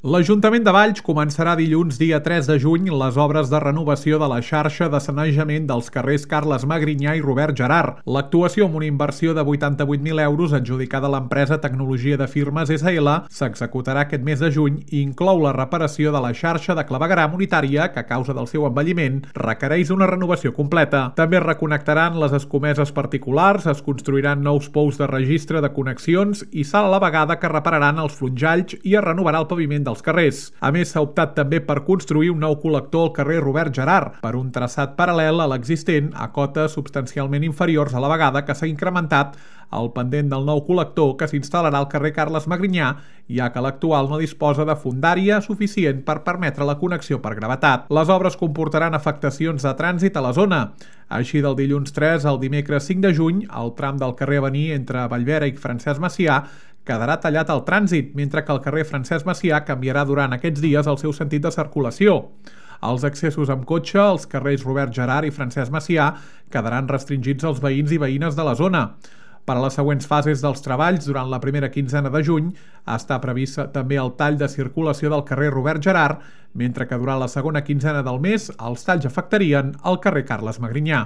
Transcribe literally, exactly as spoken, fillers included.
L'Ajuntament de Valls començarà dilluns dia tres de juny les obres de renovació de la xarxa de sanejament dels carrers Carles Magrinyà i Robert Gerhard. L'actuació, amb una inversió de vuitanta-vuit mil euros adjudicada a l'empresa Tecnologia de Firmes essa ele, s'executarà aquest mes de juny i inclou la reparació de la xarxa de clavegueram unitària que, a causa del seu envelliment, requereix una renovació completa. També es reconnectaran les escomeses particulars, es construiran nous pous de registre de connexions i s'ha a la vegada que repararan els flonjalls i es renovarà el paviment dels carrers. A més, s'ha optat també per construir un nou col·lector al carrer Robert Gerhard, per un traçat paral·lel a l'existent a cotes substancialment inferiors a la vegada que s'ha incrementat el pendent del nou col·lector que s'instal·larà al carrer Carles Magrinyà, ja que l'actual no disposa de fondària suficient per permetre la connexió per gravetat. Les obres comportaran afectacions de trànsit a la zona. Així, del dilluns tres al dimecres cinc de juny, el tram del carrer Avenir entre Vallvera i Francesc Macià quedarà tallat al trànsit, mentre que el carrer Francesc Macià canviarà durant aquests dies el seu sentit de circulació. Els accessos amb cotxe als carrers Robert Gerhard i Francesc Macià quedaran restringits als veïns i veïnes de la zona. Per a les següents fases dels treballs, durant la primera quinzena de juny, està previst també el tall de circulació del carrer Robert Gerhard, mentre que durant la segona quinzena del mes els talls afectarien el carrer Carles Magrinyà.